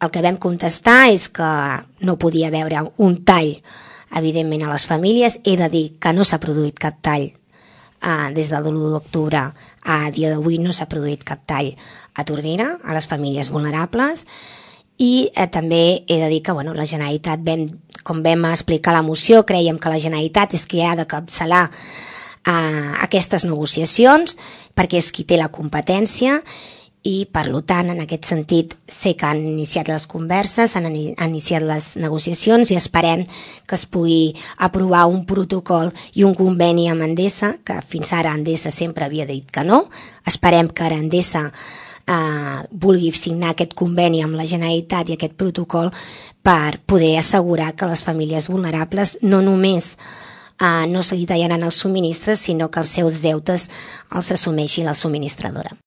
el que vam contestar és que no podia haver un tall, evidentment, a les famílies. He de dir que no s'ha produït cap tall des del 1 d'octubre a dia d'avui, no s'ha produït cap tall a Tordera, a les famílies vulnerables. I també he de dir que la Generalitat, com vam explicar a la moció, creiem que la Generalitat és qui ha de capçalar aquestes negociacions, perquè és qui té la competència, i per tant, en aquest sentit, sé que han iniciat les converses, han iniciat les negociacions, i esperem que es pugui aprovar un protocol i un conveni amb Endesa, que fins ara Endesa sempre havia dit que no. Esperem que ara Endesa vulgui signar aquest conveni amb la Generalitat i aquest protocol per poder assegurar que les famílies vulnerables no només no se li tallaran els subministres, sinó que els seus deutes els assumeixi la subministradora.